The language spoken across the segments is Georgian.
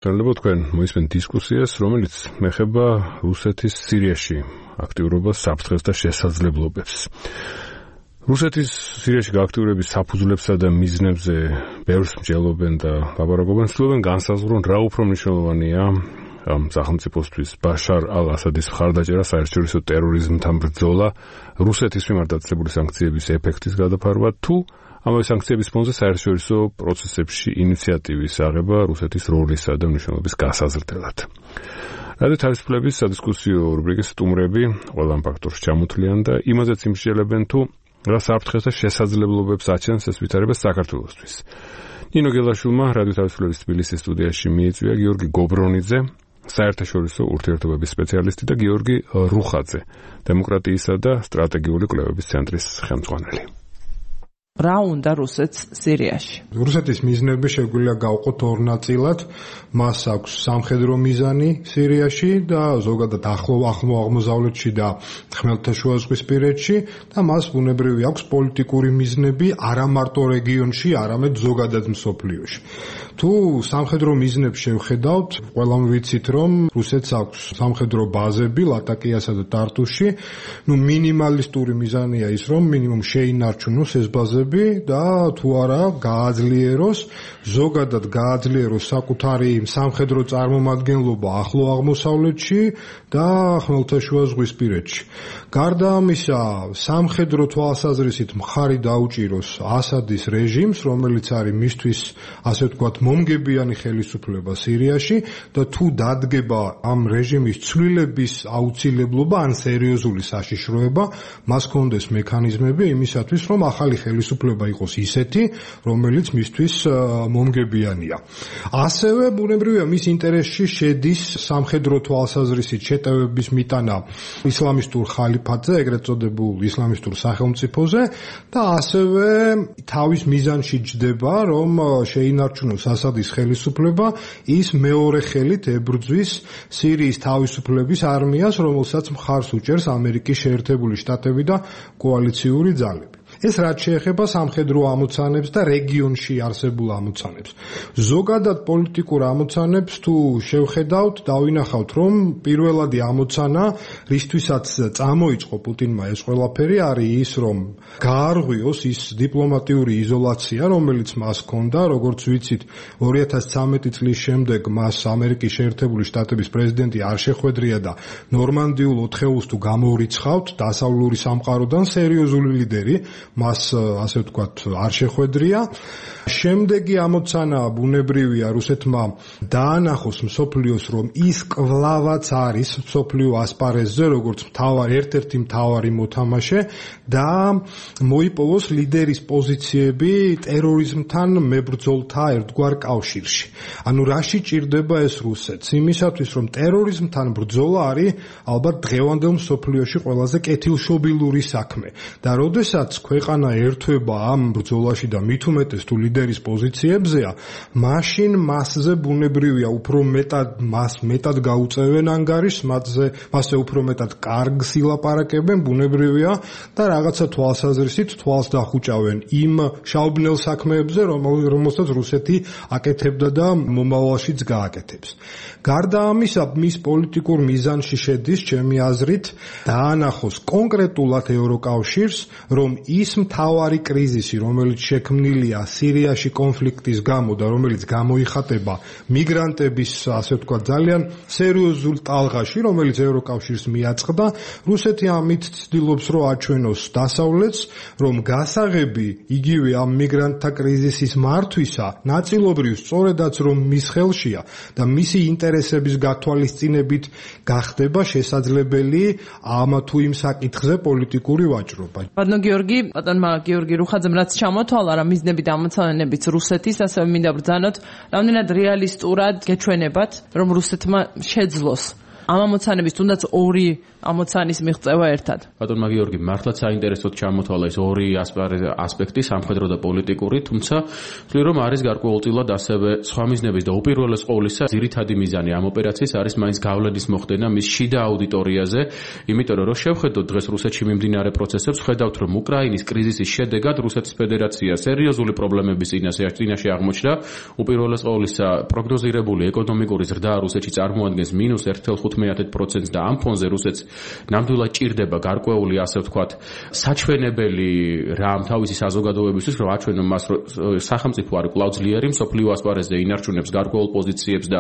მოგესალმებით თქვენ მოისმენთ დისკუსიას, რომელიც მეხება რუსეთის სირიაში აქტიურობას, საფრთხეს და შესაძლებლობებს. რუსეთის სირიაში გააქტიურების საფუძვლებსა და მიზნებზე ბევრს მსჯელობენ და ლაპარაკობენ, ცდილობენ განსაზღვრონ რა უფრო მნიშვნელოვანია სახელმწიფოსთვის ბაშარ ალ-ასადის მხარდაჭერა, საერთაშორისო ტერორიზმთან ბრძოლა, რუსეთის მიმართ დაწესებული სანქციების ეფექტის გადაფარვა თუ ამავე სანქციების ფონზე საერთაშორისო პროცესებში ინიციატივის აღება რუსეთის როლისა და მნიშვნელობის გასაზრდელად. რადიო თავისუფლების სადისკუსიო რუბრიკის სტუმრები ყველა ამ ფაქტორს ჩამოთვლიან და იმაზეც იმსჯელებენ თუ რა საფრთხეს და შესაძლებლობებს აჩენს ეს ვითარება საქართველოსთვის. ნინო გელაშვილმა რადიო თავისუფლების თბილისის სტუდიაში მიიწვია გიორგი გობრონიძე, საერთაშორისო ურთიერთობების სპეციალისტი და გიორგი რუხაძე, დემოკრატიისა და სტრატეგიული კვლევების ცენტრის ხელმძღვანელი. რა უნდა რუსეთს სირიაში? რუსეთის მიზნები შეგვიძლია გავყოთ ორ ნაწილად. მას აქვს სამხედრო მიზანი სირიაში და ზოგადად ახლო აღმოსავლეთში და ხმელთაშუაზღვისპირეთში და მას ბუნებრივი აქვს პოლიტიკური მიზნები არა მარტო რეგიონში, არამედ ზოგადად მსოფლიოში. თუ სამხედრო მიზნებს შევხედავთ, ყველამ ვიცით, რომ რუსეთს აქვს სამხედრო ბაზები ლატაკიასა და ტარტუსში. მინიმალისტური მიზანია ის, რომ მინიმუმ შეინარჩუნოს ეს ბაზები და თუ არა გააძლიეროს, ზოგადად გააძლიეროს საკუთარი სამხედრო წარმომადგენლობა ახლო აღმოსავლეთში და ხმელთაშუაზღვისპირეთში. გარდა ამისა, სამხედრო თვალსაზრისით მხარი დაუჭიროს ასადის რეჟიმს, რომელიც არის მისთვის, ასე ვთქვათ, მომგებიანი ხელისუფლება სირიაში და თუ დადგება ამ რეჟიმის ცვლილების აუცილებლობა ან სერიოზული საშიშროება, მას კონდეს მექანიზმები იმისათვის, რომ ახალი ხელისუფლება იყოს ისეთი, რომელიც მისთვის მომგებიანია. ასევე ბუნებრივია მის ინტერესში შედის სამხედრო თვალსაზრისით შეტევების მიტანა ისლამისტურ ხალიფატზე, ეგრეთ წოდებულ ისლამისტურ სახელმწიფოზე და ასევე თავის მიზანში ჯდება, რომ შეინარჩუნოს ასადის ხელისუფლება, ის მეორე ხელით ებრძვის სირიის თავისუფლების არმიას, რომელსაც მხარს უჭერს ამერიკის შეერთებული შტატები და კოალიციური ძალები. ეს რაც შეეხება სამხედრო ამოცანებს და რეგიონში არსებულ ამოცანებს. ზოგადად პოლიტიკურ ამოცანებს თუ შევხედავთ, დავინახავთ, რომ პირველადი ამოცანა, რისთვისაც წამოიწყო პუტინმა ეს ყველაფერი, არის ის, რომ გაარღვიოს ის დიპლომატიური იზოლაცია, რომელიც მას ჰქონდა, როგორც ვიცით, 2013 წლის შემდეგ მას ამერიკის შეერთებული შტატების პრეზიდენტი არ შეხვედრია და ნორმანდიულ ოთხეულს თუ გამორიცხავთ, დასავლური სამყაროდან სერიოზული ლიდერი მას ასე ვთქვათ არ შეხვედრია. შემდეგი ამოცანა ბუნებრივია რუსეთმა დაანახოს მსოფლიოს, რომ ის კვლავაც არის მსოფლიო ასპარეზზე, როგორც ერთ-ერთი მთავარი მოთამაშე და მოიპოვოს ლიდერის პოზიციები ტერორიზმთან მებრძოლთა ერთგვარ კავშირში. ანუ რაში ჭირდება ეს რუსეთს? იმისათვის, რომ ტერორიზმთან ბრძოლა არის ალბათ დღევანდელ მსოფლიოში ყველაზე კეთილშობილური საქმე და როდესაც ქვეყანა ერთვება ამ ბრძოლაში და მით უმეტეს თუ ლიდერის პოზიციებზეა, მაშინ მასზე ბუნებრივია უფრო მეტად გაუწევენ ანგარიშს, მასზე უფრო მეტად კარგს ილაპარაკებენ, ბუნებრივია და რაღაცა თვალსაზრისით თვალს დახუჭავენ იმ შაუბნელ საქმეებზე, რომელსაც რუსეთი აკეთებდა და მომავალშიც გააკეთებს. გარდა ამისა, მის პოლიტიკურ მიზანში შედის, ჩემი აზრით, დაანახოს კონკრეტულად ევროკავშირს, რომ ის მთავარი კრიზისი, რომელიც შექმნილია სირიაში კონფლიქტის გამო და რომელიც გამოიხატება მიგრანტების, ასე ვთქვათ, ძალიან სერიოზულ ტალღაში, რომელიც ევროკავშირს მიაწყდა, რუსეთი ამით ცდილობს, რომ აჩვენოს დასავლეთს, რომ გასაღები იგივე ამ მიგრანტთა კრიზისის მართვისა, ნაწილობრივ სწორედაც რომ მის ხელშია და მისი ინტერესების გათვალისწინებით გახდება შესაძლებელი ამ თუ იმ საკითხზე პოლიტიკური ვაჭრობა. ბატონო გიორგი, ბატონმა გიორგი რუხაძემ რაც ჩამოთვალა რა მიზნები და ამოცანებიც რუსეთის, ასევე მინდა ბრძანოთ, რამდენად რეალისტურად გეჩვენებათ, რომ რუსეთმა შეძლოს ამ ამოცანების თუნდაც ორი ამოცანის მიღწევა ერთად. ბატონმა გიორგი, მართლაც საინტერესოდ ჩამოთვალა ეს ორი ასპექტი, სამხედრო და პოლიტიკური, თუმცა ვთვლი რომ არის გარკვეულწილად ასევე სხვა მიზნების და უპირველეს ყოვლისა ძირითადი მიზანი ამ ოპერაციის არის მაინც გავლენის მოხდენა მის შიდა აუდიტორიაზე, იმიტომ რომ შევხედოთ დღეს რუსეთში მიმდინარე პროცესებს, ხედავთ რომ უკრაინის კრიზისის შედეგად რუსეთის ფედერაცია სერიოზული პრობლემების წინაშე აღმოჩნდა, უპირველეს ყოვლისა პროგნოზირებული ეკონომიკური ზრდა რუსეთში წარმოადგენს -1.5%-ს და ამ ფონზე რუსეთს ნამდვილად ჭირდება გარკვეული, ასე ვთქვათ, საჩვენებელი რამ თავისი საზოგადოებისთვის, რომ აჩვენონ მას, რომ სახელმწიფო არის კვლავ ძლიერი, მსოფლიო ასპარეზზე ინარჩუნებს გარკვეულ პოზიციებს და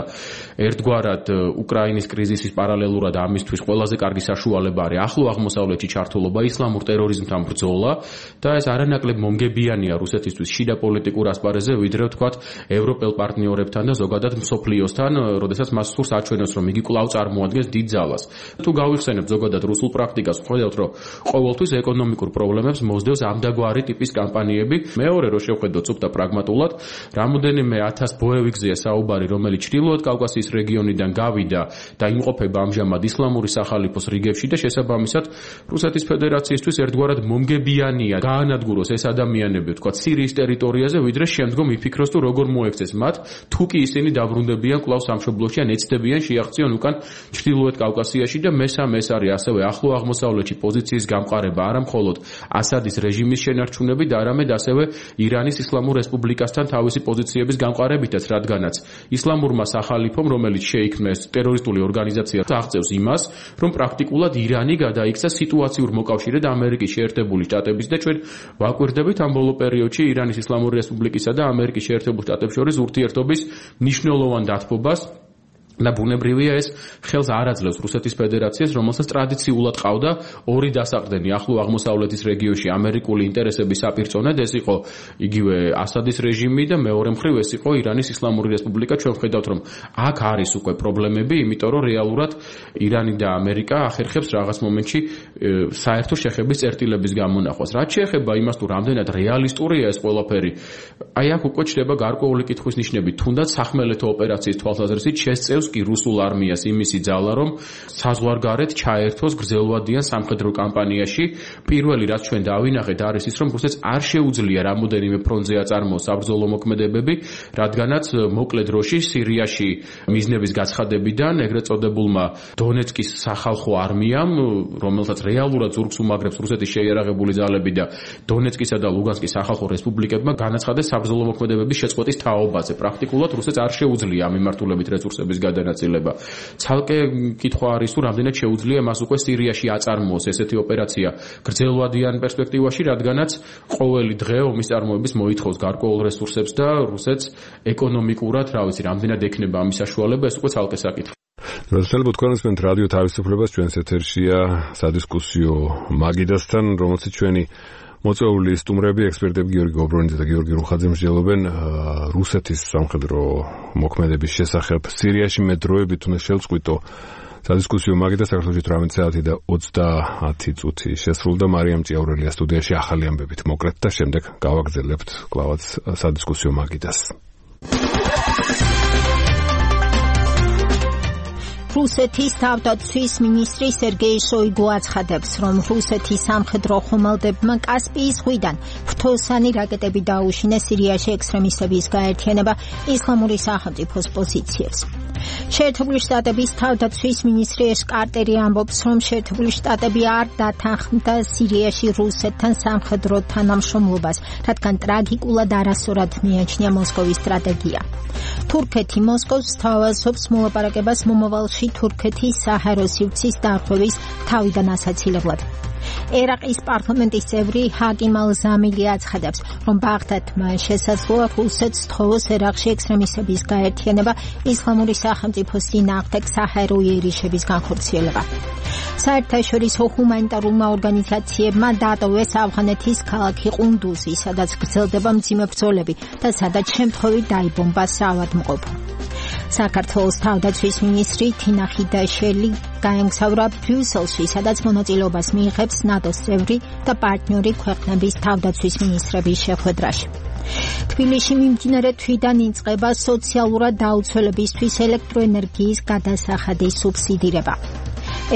ერთგვარად უკრაინის კრიზისის პარალელურად ამისთვის ყველაზე კარგი საშუალება არის ახლო აღმოსავლეთში ჩართულობა, ისლამურ ტერორიზმთან ბრძოლა და ეს არანაკლებ მომგებიანია რუსეთისთვის შიდა პოლიტიკურ ასპარეზზე, ვიდრე ვთქვათ, ევროპელ პარტნიორებთან და ზოგადად მსოფლიოსთან, როდესაც მას სურს აჩვენოს, რომ იგი კვლავ წარმოადგენს დიდ ძალას. თუ გავიხსენებთ ზოგადად რუსულ პრაქტიკას, ხედავთ, რომ ყოველთვის ეკონომიკურ პრობლემებს მოსდევს ამდაგვარი ტიპის კამპანიები. მეორე, რომ შევხედოთ სუფთა პრაგმატულად, რამოდენიმე 1000 ბოევიკზეა საუბარი, რომელიც ჩრდილოეთ კავკასიის რეგიონიდან გავიდა და იმყოფება ამჟამად ისლამური სახალიფოს რიგებში და შესაბამისად რუსეთის ფედერაციისთვის ერთგვარად მომგებიანია გაანადგუროს ეს ადამიანები, ვთქვათ, სირიის ტერიტორიაზე, ვიდრე შემდგომ იფიქროს თუ როგორ მოექცეს მათ, თუ კი ისინი დაბრუნდებიან კვლავ სამშობლოში ან ეცდებიან შეაღწიონ უკან ჩრდილოეთ კავკასიაში და მესამე ეს არის ასევე ახლო აღმოსავლეთში პოზიციის გამყარება არა მხოლოდ ასადის რეჟიმის შენარჩუნებით, არამედ ასევე ირანის ისლამურ რესპუბლიკასთან თავისი პოზიციების გამყარებითაც, რადგანაც ისლამურმა სახალიფომ, რომელიც შეიქმნეს ტერორისტული ორგანიზაცია, აღწევს იმას, რომ პრაქტიკულად ირანი გადაიქცა სიტუაციურ მოკავშირედ ამერიკის შეერთებული შტატების და ჩვენ ვაკვირდებით ამ ბოლო პერიოდში ირანის ისლამური რესპუბლიკისა და ამერიკის შეერთებულ შტატებს შორის ურთიერთობის მნიშვნელოვან დათბობას და ბუნებრივია ეს ხელს არ აძლევს რუსეთის ფედერაციას, რომელსაც ტრადიციულად ყავდა ორი დასაყრდენი ახლო აღმოსავლეთის რეგიონში ამერიკული ინტერესების საპირწონედ, ეს იყო იგივე ასადის რეჟიმი და მეორე მხრივ ეს იყო ირანის ისლამური რესპუბლიკა. ჩვენ ვხედავთ, რომ აქ არის უკვე პრობლემები, იმიტომ რომ რეალურად ირანი და ამერიკა ახერხებს რაღაც მომენტში საერთო შეხების წერტილების გამონახვას. რაც შეეხება იმას, თუ რამდენად რეალისტურია ეს ყველაფერი, აი აქ უკვე ჩდება გარკვეული კითხვის ნიშნები, თუნდაც სახმელეთო ოპერაციის თვალსაზრისით შესწევს კი რუსულ არმიას იმისი ძალა, რომ საზღვარგარეთ ჩაერთოს გრძელვადიან სამხედრო კამპანიაში. პირველი, რაც ჩვენ დავინახეთ, არის ის, რომ რუსეთს არ შეუძლია რამოდენიმე ფრონტზე აწარმოოს საბრძოლო მოქმედებები, რადგანაც მოკლე დროში სირიაში მიზნების გაცხადებიდან ეგრეთ წოდებულმა დონეცკის სახალხო არმიამ, რომელსაც რეალურად ზურგს უმაგრებს რუსეთის შეიარაღებული ძალები და დონეცკისა და ლუგანსკის სახალხო რესპუბლიკებმა განაცხადეს საბრძოლო მოქმედებების შეწყვეტის თაობაზე. პრაქტიკულად რუსეთს არ შეუძლია ამ მიმართულებით რესურსების გადანაწილება. ცალკე კითხვა არის, თუ რამდენად შეუძლია მას უკვე სირიაში აწარმოოს ესეთი ოპერაცია გრძელვადიან პერსპექტივაში, რადგანაც ყოველი დღე ომის წარმოების მოითხოვს გარკვეულ რესურსებს და რუსეთს ეკონომიკურად, რა ვიცი, რამდენად ექნება ამის საშუალება, ეს უკვე ცალკე საკითხი. როდესაც თქვენს რადიო თავისუფლებას ჩვენს ეთერშია სადისკუსიო მაგიდასთან, რომელსაც ჩვენი მოწვეული სტუმრები, ექსპერტები გიორგი გობრონიძე და გიორგი რუხაძე მსჯელობენ რუსეთის სამხედრო მოქმედების შესახებ სირიაში მე დროებით უნდა შევწყვიტო სადისკუსიო მაგიდა საქართველოში 18 საათი და 30 წუთი შესრულდა. მარიამ ჭიაურელია სტუდიაში ახალი ამბებით მოკლედ და შემდეგ გავაგრძელებთ კლავაც სადისკუსიო მაგიდას. რუსეთის თავდაცვის მინისტრი სერგეი შოიგუ აცხადებს, რომ რუსეთის სამხედრო ხომალდებმა კასპიის ზღვიდან ფრთოსანი რაკეტები დაუშინეს სირიაში ექსტრემისტების გაერთიანება ისლამური სახელმწიფოს პოზიციებს. შეერთებული შტატების თავდაცვის მინისტრი ეშ კარტერი ამბობს, რომ შეერთებული შტატები არ დათანხმდა სირიაში რუსეთთან სამხედრო თანამშრომლობას, რადგან ტრაგიკულად არასწორად მიაჩნია მოსკოვის სტრატეგია. თურქეთი მოსკოვს სთავაზობს მოლაპარაკებას მომავალში თურქეთის საჰაერო სივრცის დარღვევის თავიდან ასაცილებლად. ერაყის პარლამენტის წევრი ჰაკიმ ალ-ზამილი აცხადებს, რომ ბაღდადმა შესაძლოა რუსეთს სთხოვოს ერაყში ექსტრემისტების გაერთიანება ისლამური სახელმწიფოს წინააღმდეგ საჰაერო იერიშების განხორციელება. საერთაშორისო ჰუმანიტარულმა ორგანიზაციებმა დატოვეს ავღანეთის ქალაქი ყუნდუზი, სადაც გრძელდება მძიმე ბრძოლები და სადაც შემთხვევით დაიბომბა საავადმყოფო. საქართველოს თავდაცვის მინისტრი თინა ხიდაშელი გაემგზავრა ბრიუსელში, სადაც მონაწილეობას მიიღებს ნატოს წევრი და პარტნიორი ქვეყნების თავდაცვის მინისტრების შეხვედრაში. თბილისში მიმდინარე თვიდან იწყება სოციალურად დაუცველებისთვის ელექტროენერგიის გადასახადის სუბსიდირება.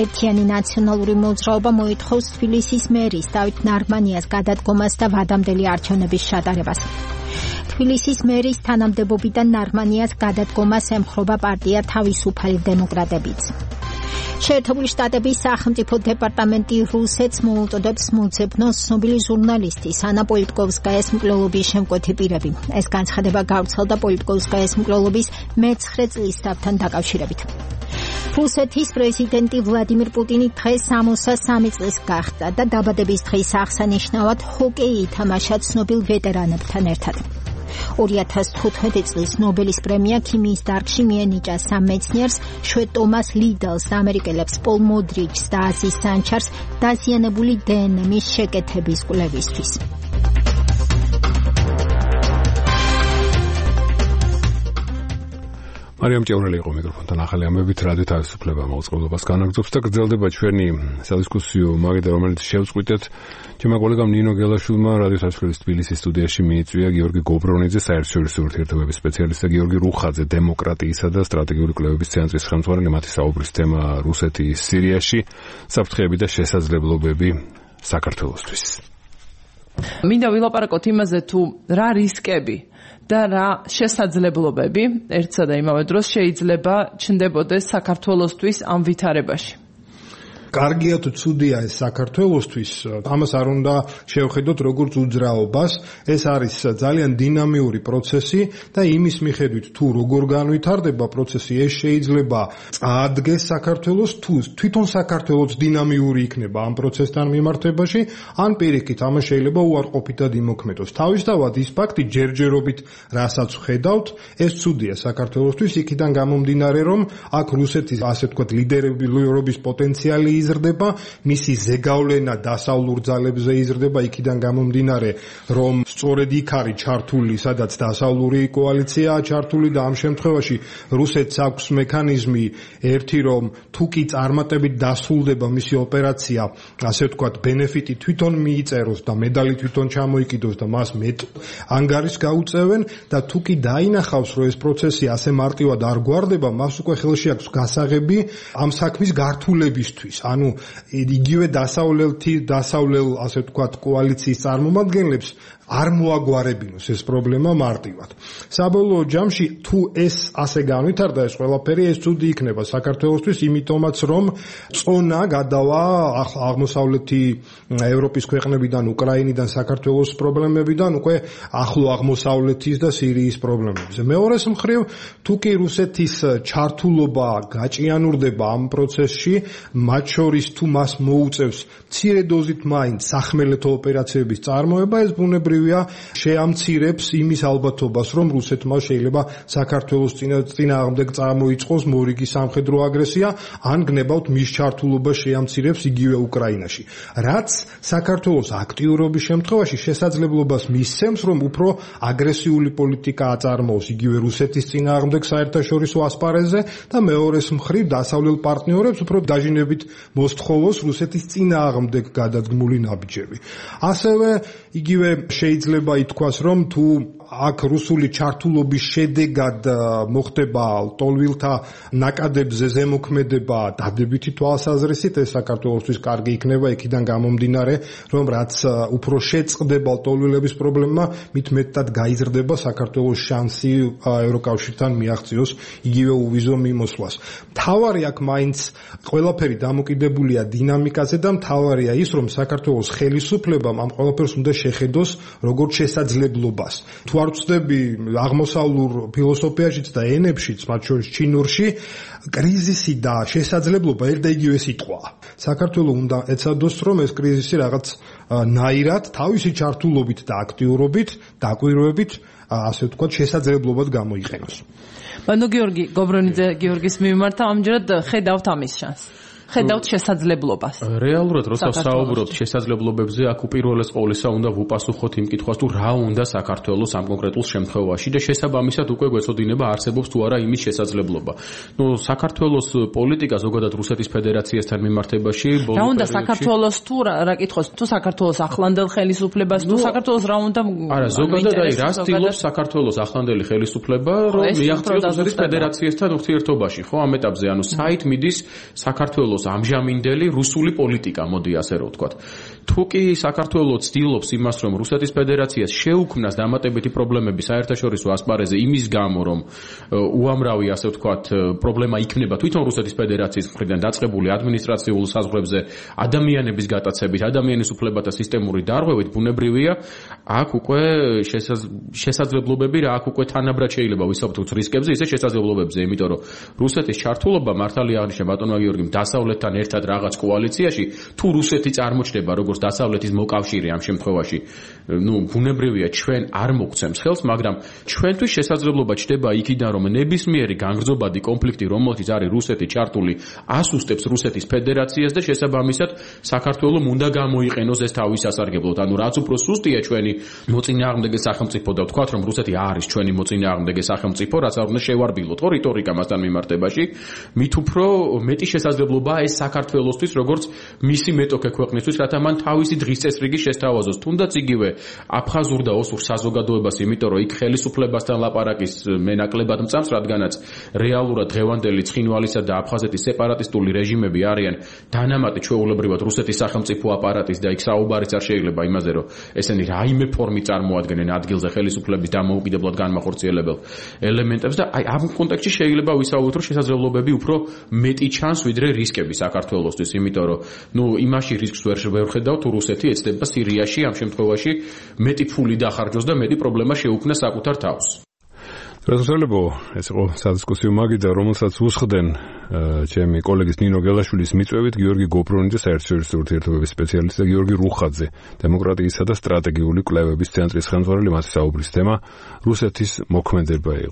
ერთიანი ნაციონალური მოძრაობა მოითხოვს თბილისის მერის დავით ნარმანიას გადადგომას და ვადამდელი არჩევნების ჩატარებას. თბილისის მერის თანამდებობიდან ნარმანიას გადადგომას ემხრობა პარტია თავისუფალი დემოკრატებიც. შეერთებული შტატების სახელმწიფო დეპარტამენტი რუსეთს მოუწოდებს მოძებნოს ცნობილი ჟურნალისტის ანა პოლიტკოვსკაიას მკვლელობის შემკვეთი პირები. ეს განცხადება გავრცელდა პოლიტკოვსკაიას მკვლელობის მე-9 წლისთავთან დაკავშირებით. რუსეთის პრეზიდენტი ვლადიმირ პუტინი დღეს 63 წლის გახდა და დაბადების დღის აღსანიშნავად ჰოკეი ითამაშა ცნობილ ვეტერანებთან ერთად. 2015 წლის ნობელის პრემია ქიმიის დარგში მიენიჭა სამ მეცნიერს, შვედ ტომას ლიდელს, ამერიკელებს პოლ მოდრიჩს და აზის სანჩარს დაზიანებული დნმ-ის შეკეთების კვლევისთვის. მარიამ ჭევრელი იყო მიკროფონთან ახალი ამბებით რადიო თავისუფლება მოწყობილობას განაგრძობს და გრძელდება ჩვენი სადისკუსიო მაგიდა რომელიც შევწყვიტეთ ჩემმა კოლეგამ ნინო გელაშვილმა რადიო თავისუფლების თბილისის სტუდიაში მიიწვია გიორგი გობრონიძე საერთაშორისო ურთიერთობების სპეციალისტი და გიორგი რუხაძე დემოკრატიისა და სტრატეგიული კვლევების ცენტრის ხელმძღვანელი მათი საუბრის თემა რუსეთის სირიაში საფრთხეები და შესაძლებლობები საქართველოსთვის. მინდა ვილაპარაკოთ იმაზე თუ რა რისკები და რა შესაძლებლობები ერთსა და იმავე დროს შეიძლება ჩნდებოდეს საქართველოსთვის ამ ვითარებაში. კარგია თუ ცუდია ეს საქართველოსთვის, ამას არ უნდა შევხედოთ როგორც უძრაობას, ეს არის ძალიან დინამიური პროცესი და იმის მიხედვით თუ როგორ განვითარდება პროცესი, ეს შეიძლება წაადგეს საქართველოს, თუ თვითონ საქართველოს დინამიური იქნება ამ პროცესთან მიმართებაში, ან პირიქით, ამას შეიძლება უარყოფითად იმოქმედოს. თავისთავად ის ფაქტი ჯერჯერობით რასაც ვხედავთ, ეს ცუდია საქართველოსთვის, იქიდან გამომდინარე, რომ აქ რუსეთის ასე ვთქვათ ლიდერობის პოტენციალი იზრდება, მისი ზეგავლენა დასავლურ ძალებზე იზრდება, იქიდან გამომდინარე, რომ სწორედ იქ არის ჩართული, სადაც დასავლური კოალიციაა ჩართული და ამ შემთხვევაში რუსეთს აქვს მექანიზმი ერთი, რომ თუ კი წარმატებით დასრულდება მისი ოპერაცია, ასე ვთქვათ, ბენეფიტი თვითონ მიიწეროს და მედალი თვითონ ჩამოიკიდოს და მას მეტ ანგარიშს გაუწევენ და თუ კი დაინახავს, რომ ეს პროცესი ასე მარტივად არ გვარდება, მას უკვე ხელში აქვს გასაღები ამ საქმის გართულებისთვის. ანუ იგივე დასავლელ ასე ვთქვათ კოალიციის წარმომადგენლებს არ მოაგვარებინოს ეს პრობლემა მარტივად. საბოლოო ჯამში თუ ეს ასე განვითარდა ეს ყველაფერი ეს ცუდი იქნება საქართველოსთვის, იმიტომაც რომ წონა გადავა აღმოსავლეთი ევროპის ქვეყნებიდან, უკრაინიდან, საქართველოს პრობლემებიდან უკვე ახლო აღმოსავლეთის და სირიის პრობლემებზე. მეორეს მხრივ, თუ კი რუსეთის ჩართულობა გაჭიანურდება ამ პროცესში, მათ შორის თუ მას მოუწევს მცირე დოზით მაინც სახმელეთო ოპერაციების წარმოება, ეს ბუნებრივია შეამცირებს იმის ალბათობას, რომ რუსეთმა შეიძლება საქართველოს წინააღმდეგ წარმოიწყოს მორიგი სამხედრო აგრესია, ან გნებავთ მის ჩართულობა შეამცირებს იგივე უკრაინაში. რაც საქართველოს აქტიურობის შემთხვევაში შესაძლებლობას მისცემს, რომ უფრო აგრესიული პოლიტიკა აწარმოოს იგივე რუსეთის წინააღმდეგ საერთაშორისო ასპარეზზე და მეორეს მხრივ დასავლელ პარტნიორებს უფრო დაჟინებით მოსთხოვოს რუსეთის წინააღმდეგ გადადგმული ნაბიჯები. ასევე იგივე შეიძლება ითქვას, რომ თუ აქ რუსული ჩართულობის შედეგად მოხდება ლტოლვილთა ნაკადებზე ზემოქმედება დადებითი თვალსაზრისით, ეს საქართველოსთვის კარგი იქნება, იქიდან გამომდინარე, რომ რაც უფრო შეწყდება ლტოლვილების პრობლემა, მით მეტად გაიზრდება საქართველოს შანსი ევროკავშირთან მიაღწიოს იგივე უვიზო მიმოსვლას. მთავარი აქ მაინც ყველაფერი დამოკიდებულია დინამიკაზე და მთავარია ის, რომ საქართველოს ხელისუფლებამ ამ ყველაფერს უნდა შეხედოს როგორც შესაძლებლობას. თუ არ ვწდები აღმოსავლურ ფილოსოფიაშიც და ენებშიც, მათ შორის ჩინურში, კრიზისი და შესაძლებლობა ერთ და იგივე სიტყვაა. საქართველოს უნდა ეცადოს, რომ ეს კრიზისი რაღაც ნაირად, თავისი ჩართულობით და აქტიურობით, დაკვირვებით, ასე ვთქვათ, შესაძლებლობად გამოიყენოს. ბანო გიორგი გობრონიძე გიორგის მიმართ ამჯერად ხედავთ ამის შანსს. ხედავთ შესაძლებლობას? რეალურად როცა საუბრობთ შესაძლებლობებზე, აქ უპირველეს ყოვლისა უნდა ვუპასუხოთ იმ კითხვას, თუ რა უნდა საქართველოს ამ კონკრეტულ შემთხვევაში და შესაბამისად უკვე გვეცოდინება არსებობს თუ არა იმის შესაძლებლობა. საქართველოს პოლიტიკა ზოგადად რუსეთის ფედერაციასთან მიმართებაში რა უნდა საქართველოს თუ რა კითხოს, თუ საქართველოს ახლანდელ ხელისუფლებას, თუ საქართველოს რა უნდა არა, ზოგადად რა ცდილობს საქართველოს ახლანდელი ხელისუფლება, რომ მიაღწიოს რუსეთის ფედერაციასთან ურთიერთობაში, ხო, ამ ეტაპზე, საით მიდის საქართველოს ამჟამინდელი რუსული პოლიტიკა, მოდი ასე რომ ვთქვათ. თუ კი საქართველოს ცდილობს იმას, რომ რუსეთის ფედერაციას შეუქმნას დამატებითი პრობლემები საერთაშორისო ასპარეზზე იმის გამო, რომ უამრავი ასე ვთქვათ პრობლემა იქნება თვითონ რუსეთის ფედერაციის მხრიდან დაწყებული ადმინისტრაციულ საზღვრებზე ადამიანების გატაცებით, ადამიანის უფლებათა სისტემური დარღვევით, ბუნებრივია, აქ უკვე შესაძლებლობები რა, აქ უკვე თანაბრად შეიძლება ვისაუბროთ რისკებზე, ისე შესაძლებლობებზე, იმიტომ რომ რუსეთის ჩართულობა მართალია აღნიშნა ბატონმა გიორგიმ დასავლეთთან ერთად რაღაც კოალიციაში, თუ რუსეთი წარმოჩნდება როგორც დასავლეთის მოკავშირე ამ შემთხვევაში, ბუნებრივია ჩვენ არ მოგცემს ხელს, მაგრამ ჩვენთვის შესაძლებლობა ჩნდება იქიდან, რომ ნებისმიერი განგრძობადი კონფლიქტი, რომელშიც არის რუსეთი ჩართული, ასუსტებს რუსეთის ფედერაციას და შესაბამისად საქართველოს უნდა გამოიყენოს ეს თავის სასარგებლოდ. რაც უფრო სუსტია ჩვენი მოწინააღმდეგე სახელმწიფო და ვთქვათ, რომ რუსეთი არის ჩვენი მოწინააღმდეგე სახელმწიფო, რაც არ უნდა შევარბილოთ ხო რიტორიკა მასთან მიმართებაში, მით უფრო მეტი შესაძლებლობაა ეს საქართველოსთვის, როგორც მისი მეტოქე ქვეყნისთვის, რათა მან თავისი დღის წესრიგი შესთავაზოს. თუნდაც იგივე აფხაზურ და ოსურ საზოგადოებას, იმიტომ რომ იქ ხელისუფლებასთან ლაპარაკის მენაკლებად მწამს, რადგანაც რეალურად დღევანდელი ცხინვალისა და აფხაზეთის სეპარატისტული რეჟიმები არიან დანამატი ჩვეულებრივად რუსეთის სახელმწიფო აპარატის და იქ საუბარიც არ შეიძლება იმაზე, რომ ესენი რაიმე ფორმით წარმოადგენენ ადგილზე ხელისუფლების დამოუკიდებლად განმახორციელებელ ელემენტებს და აი ამ კონტექსტში შეიძლება ვისაუბროთ, რომ შესაძლებლობები უფრო მეტი ჩანს ვიდრე რისკები საქართველოსთვის, იმიტომ რომ იმაში რისკს ვერ ხედავ, თუ რუსეთი ეცდება სირიაში ამ შემთხვევაში მეტი ფული დახარჯოს და მეტი პრობლემა შეუქმნას საკუთარ თავს. რასაულებო, ეს იყო სადისკუსიო მაგიდა, რომელსაც უსხდენ ჩემი კოლეგის ნინო გელაშვილის მიწვევით გიორგი გობრონიძე, საერთაშორისო ურთიერთობების სპეციალისტი და გიორგი რუხაძე, დემოკრატიისა და სტრატეგიული კვლევების ცენტრის ხელმძღვანელი, მათი საუბრის თემა რუსეთის მოქმედება იყო.